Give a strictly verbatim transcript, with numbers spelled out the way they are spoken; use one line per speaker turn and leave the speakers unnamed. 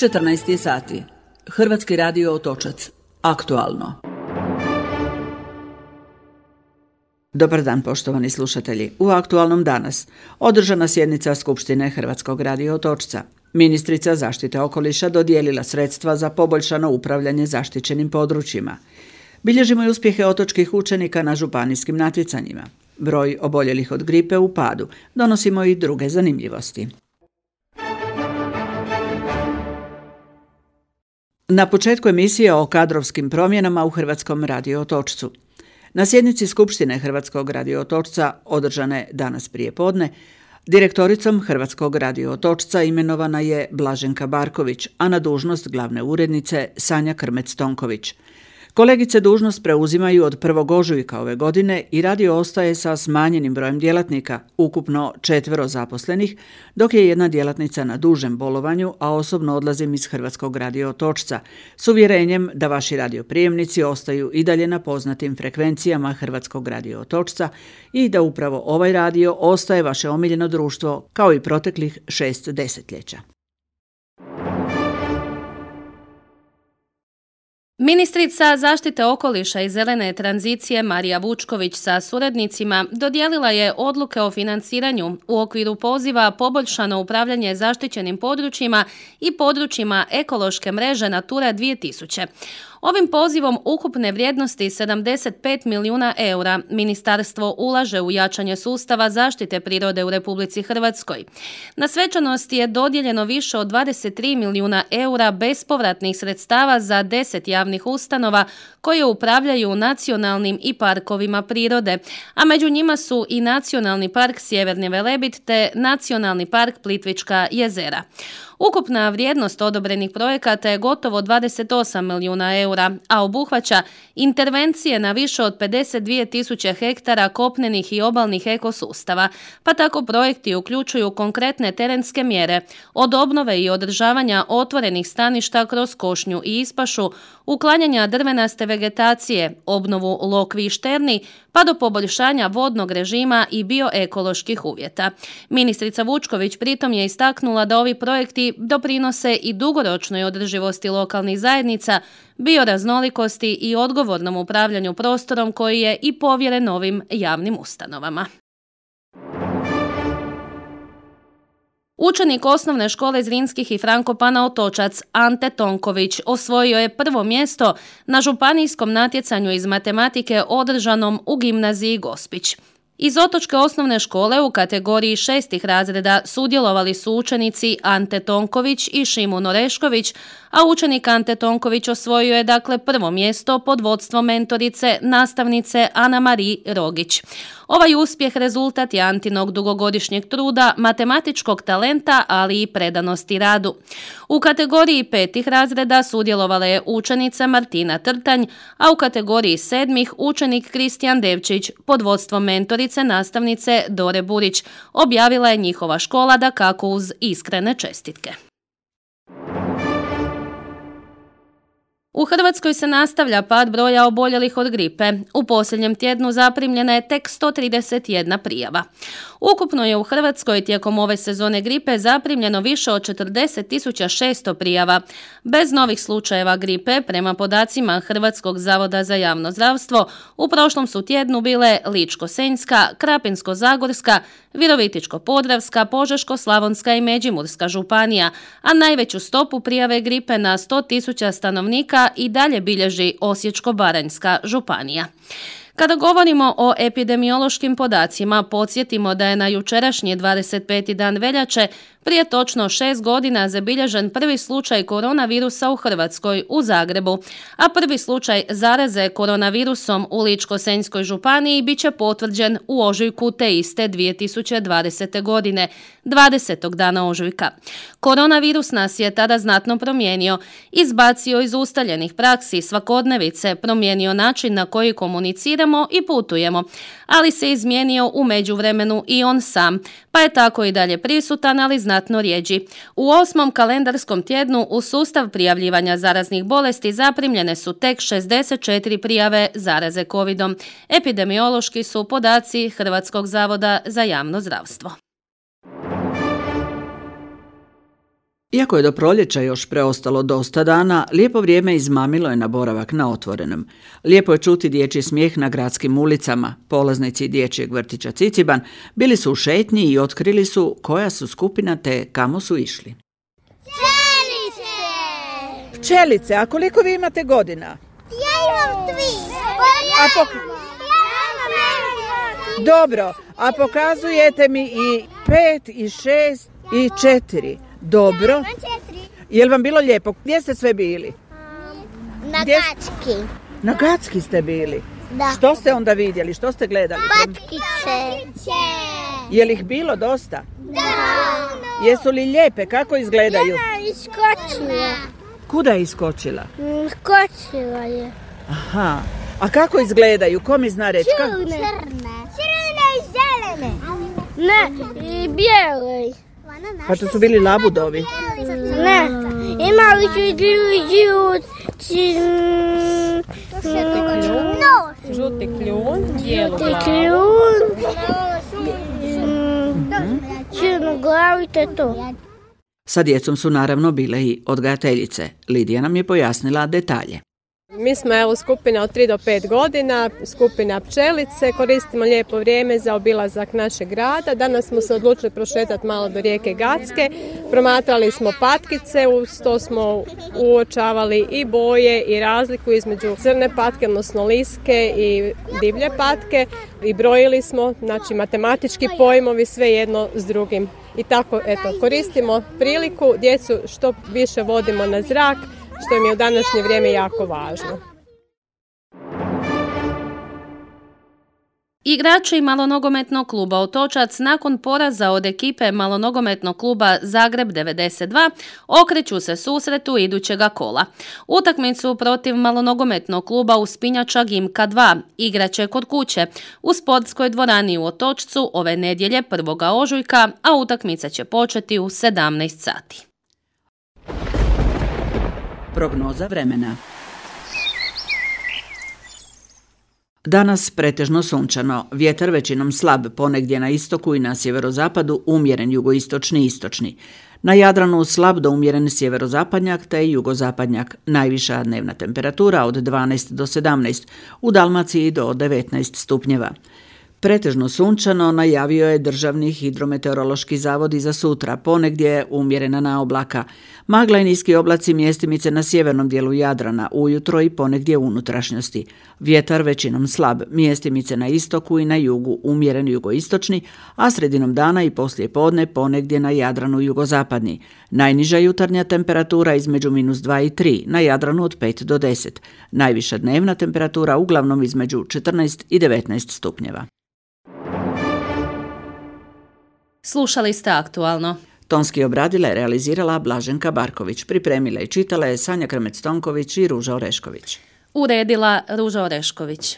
četrnaest je sati. Hrvatski radio Otočac. Aktualno. Dobar dan, poštovani slušatelji. U Aktualnom danas održana sjednica Skupštine Hrvatskog radio Otočca. Ministrica zaštite okoliša dodijelila sredstva za poboljšano upravljanje zaštićenim područjima. Bilježimo i uspjehe otočkih učenika na županijskim natjecanjima. Broj oboljelih od gripe u padu. Donosimo i druge zanimljivosti. Na početku emisije o kadrovskim promjenama u Hrvatskom radio Otočcu. Na sjednici Skupštine Hrvatskog radio Otočca, održane danas prije podne, direktoricom Hrvatskog radio Otočca imenovana je Blaženka Barković, a na dužnost glavne urednice Sanja Krmec-Tonković. Kolegice dužnost preuzimaju od prvog ožujka ove godine i radio ostaje sa smanjenim brojem djelatnika, ukupno četvero zaposlenih, dok je jedna djelatnica na dužem bolovanju, a osobno odlazim iz Hrvatskog radio Otočca, s uvjerenjem da vaši radioprijemnici ostaju i dalje na poznatim frekvencijama Hrvatskog radio Otočca i da upravo ovaj radio ostaje vaše omiljeno društvo kao i proteklih šest desetljeća.
Ministrica zaštite okoliša i zelene tranzicije Marija Vučković sa suradnicima dodijelila je odluke o financiranju u okviru poziva Poboljšano upravljanje zaštićenim područjima i područjima ekološke mreže Natura dvije tisuće. Ovim pozivom ukupne vrijednosti sedamdeset pet milijuna eura ministarstvo ulaže u jačanje sustava zaštite prirode u Republici Hrvatskoj. Na svečanosti je dodijeljeno više od dvadeset tri milijuna eura bespovratnih sredstava za deset javnih ustanova koje upravljaju nacionalnim i parkovima prirode, a među njima su i Nacionalni park Sjeverni Velebit te Nacionalni park Plitvička jezera. Ukupna vrijednost odobrenih projekata je gotovo dvadeset osam milijuna eura, a obuhvaća intervencije na više od pedeset dvije tisuće hektara kopnenih i obalnih ekosustava, pa tako projekti uključuju konkretne terenske mjere, od obnove i održavanja otvorenih staništa kroz košnju i ispašu, uklanjanja drvenaste vegetacije, obnovu lokvi i šterni, pa do poboljšanja vodnog režima i bioekoloških uvjeta. Ministrica Vučković pritom je istaknula da ovi projekti doprinose i dugoročnoj održivosti lokalnih zajednica, bioraznolikosti i odgovornom upravljanju prostorom koji je i povjeren novim javnim ustanovama. Učenik osnovne škole Zrinskih i Frankopana Otočac Ante Tonković osvojio je prvo mjesto na županijskom natjecanju iz matematike održanom u gimnaziji Gospić. Iz otočke osnovne škole u kategoriji šestih razreda sudjelovali su učenici Ante Tonković i Šimun Orešković, a učenik Ante Tonković osvojio je dakle prvo mjesto pod vodstvom mentorice, nastavnice Ana Marije Rogić. Ovaj uspjeh rezultat je Antinog dugogodišnjeg truda, matematičkog talenta, ali i predanosti radu. U kategoriji petih razreda sudjelovala je učenica Martina Trtanj, a u kategoriji sedmih učenik Kristijan Devčić pod vodstvom mentorice, nastavnice Dore Burić. Objavila je njihova škola dakako uz iskrene čestitke. U Hrvatskoj se nastavlja pad broja oboljelih od gripe. U posljednjem tjednu zaprimljena je tek sto trideset jedna prijava. Ukupno je u Hrvatskoj tijekom ove sezone gripe zaprimljeno više od četrdeset tisuća šesto prijava. Bez novih slučajeva gripe, prema podacima Hrvatskog zavoda za javno zdravstvo, u prošlom su tjednu bile Ličko-senjska, Krapinsko-zagorska, Virovitičko-podravska, Požeško-slavonska i Međimurska županija, a najveću stopu prijave gripe na sto tisuća stanovnika i dalje bilježi Osječko-baranjska županija. Kada govorimo o epidemiološkim podacima, podsjetimo da je na jučerašnji dvadeset peti dan veljače prije točno šest godina zabilježen prvi slučaj koronavirusa u Hrvatskoj, u Zagrebu, a prvi slučaj zaraze koronavirusom u Ličko-senjskoj županiji bit će potvrđen u ožujku te iste dvije tisuće dvadesete godine, dvadesetog dana ožujka. Koronavirus nas je tada znatno promijenio, izbacio iz ustaljenih praksi svakodnevice, promijenio način na koji komuniciramo i putujemo, ali se izmijenio u međuvremenu i on sam, pa je tako i dalje prisutan, ali znatno rijeđi. U osmom kalendarskom tjednu u sustav prijavljivanja zaraznih bolesti zaprimljene su tek šezdeset četiri prijave zaraze covidom. Epidemiološki su podaci Hrvatskog zavoda za javno zdravstvo.
Iako je do proljeća još preostalo dosta dana, lijepo vrijeme izmamilo je na boravak na otvorenom. Lijepo je čuti dječji smijeh na gradskim ulicama. Polaznici dječjeg vrtića Ciciban bili su u šetnji i otkrili su koja su skupina te kamo su išli.
Pčelice!
Pčelice, a koliko vi imate godina?
Ja imam tri.
A pok- Dobro, a pokazujete mi i pet, i šest, i četiri. Dobro. Je li vam bilo lijepo? Gdje ste sve bili?
Na
Gdje-
Gacki.
Na Gacki ste bili.
Da.
Što ste onda vidjeli? Što ste gledali?
Patkice.
Je li ih bilo dosta?
Da.
Jesu li lijepe? Kako izgledaju?
Jedna iskočila.
Kuda je iskočila?
Skočila je.
Aha. A kako izgledaju? Ko mi zna reći? Ka-
Crne. Crne i zelene. Ne, i bijele.
Pa to su bili labudovi.
Ne, imali su žuti
Žuti kljun, bijelu
žuti
glavu.
kljun, crnu glavu i to je to.
Sa djecom su naravno bile i odgajateljice. Lidija nam je pojasnila detalje.
Mi smo evo skupina od tri do pet godina, skupina pčelice, koristimo lijepo vrijeme za obilazak našeg grada. Danas smo se odlučili prošetati malo do rijeke Gacke, promatrali smo patkice, uz to smo uočavali i boje i razliku između crne patke, odnosno liske i divlje patke i brojili smo, znači matematički pojmovi sve jedno s drugim. I tako, eto, koristimo priliku, djecu što više vodimo na zrak, što im je u današnje vrijeme jako važno.
Igrači malonogometnog kluba Otočac nakon poraza od ekipe malonogometnog kluba Zagreb devedeset dva okreću se susretu idućega kola. Utakmicu protiv malonogometnog kluba Uspinjača Gimka dva igraće kod kuće u sportskoj dvorani u Otočcu ove nedjelje prvog ožujka, a utakmica će početi u sedamnaest sati.
Prognoza vremena. Danas pretežno sunčano, vjetar većinom slab, ponegdje na istoku i na sjeverozapadu umjeren jugoistočni i istočni. Na Jadranu slab do umjeren sjeverozapadnjak te jugozapadnjak, najviša dnevna temperatura od dvanaest do sedamnaest, u Dalmaciji do devetnaest stupnjeva. Pretežno sunčano najavio je Državni hidrometeorološki zavod i za sutra, ponegdje umjerena na oblaka. Magla i niski oblaci mjestimice na sjevernom dijelu Jadrana, ujutro i ponegdje u unutrašnjosti. Vjetar većinom slab, mjestimice na istoku i na jugu umjeren jugoistočni, a sredinom dana i poslije podne ponegdje na Jadranu jugozapadni. Najniža jutarnja temperatura između minus dva i tri, na Jadranu od pet do deset. Najviša dnevna temperatura uglavnom između četrnaest i devetnaest stupnjeva.
Slušali ste Aktualno.
Tonski obradila je realizirala Blaženka Barković, pripremila i čitala je Sanja Krmec-Tonković i Ruža Orešković.
Uredila Ruža Orešković.